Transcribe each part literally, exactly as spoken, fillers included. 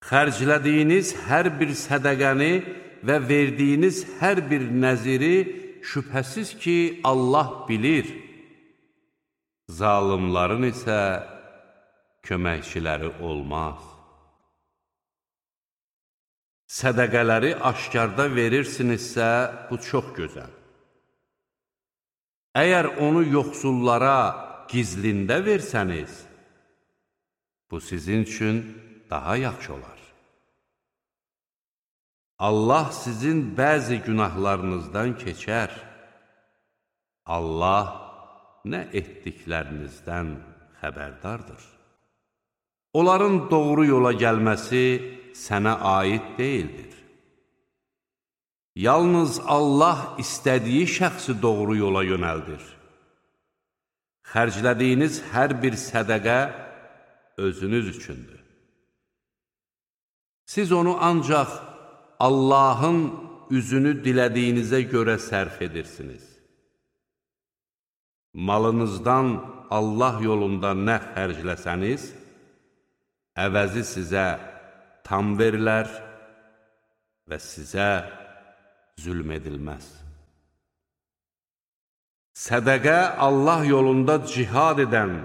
Xərclədiyiniz hər bir sədəqəni və verdiyiniz hər bir nəziri şübhəsiz ki, Allah bilir. Zalımların isə köməkçiləri olmaz. Sədəqələri aşkarda verirsinizsə, bu çox gözəl. Əgər onu yoxsullara gizlində versəniz, bu sizin üçün daha yaxşı olar. Allah sizin bəzi günahlarınızdan keçər. Allah nə etdiklərinizdən xəbərdardır. Onların doğru yola gəlməsi sənə aid deyildir. Yalnız Allah istədiyi şəxsi doğru yola yönəldir. Xərclədiyiniz hər bir sədəqə özünüz üçündür. Siz onu ancaq Allahın üzünü dilədiyinizə görə sərf edirsiniz. Malınızdan Allah yolunda nə xərcləsəniz, əvəzi sizə tam verilər və sizə zülm edilməz. Sədəqə Allah yolunda cihad edən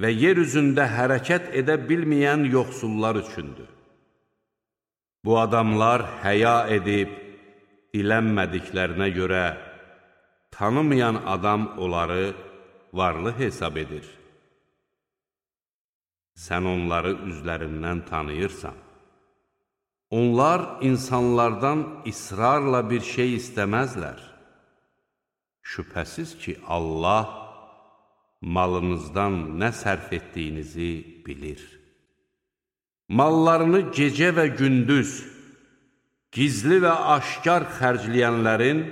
və yer üzündə hərəkət edə bilməyən yoxsullar üçündür. Bu adamlar həya edib, dilənmədiklərinə görə tanımayan adam onları varlı hesab edir. Sən onları üzlərindən tanıyırsan. Onlar insanlardan israrla bir şey istəməzlər. Şübhəsiz ki, Allah malınızdan nə sərf etdiyinizi bilir. Mallarını gecə və gündüz, gizli və aşkar xərcləyənlərin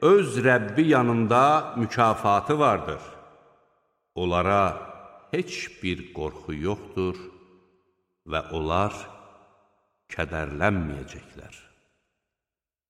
öz Rəbbi yanında mükafatı vardır. Onlara heç bir qorxu yoxdur və onlar kədərlənməyəcəklər.